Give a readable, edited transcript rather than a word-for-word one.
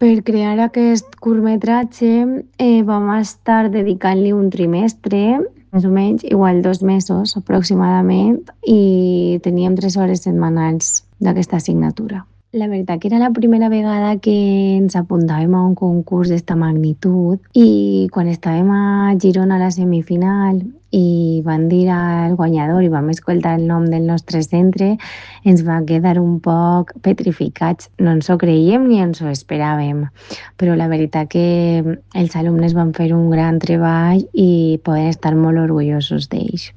Per crear aquest curtmetratge vam estar dedicant-li un trimestre, més o menys, igual 2 mesos aproximadament, i teníem 3 hores setmanals d'aquesta assignatura. La veritat que era la primera vegada que ens apuntàvem a un concurs d'esta magnitud i quan estàvem a Girona a la semifinal i van dir al guanyador i vam escoltar el nom del nostre centre, ens va quedar un poc petrificats. No ens ho creiem ni ens ho esperàvem, però la veritat que els alumnes van fer un gran treball i poden estar molt orgullosos d'ells.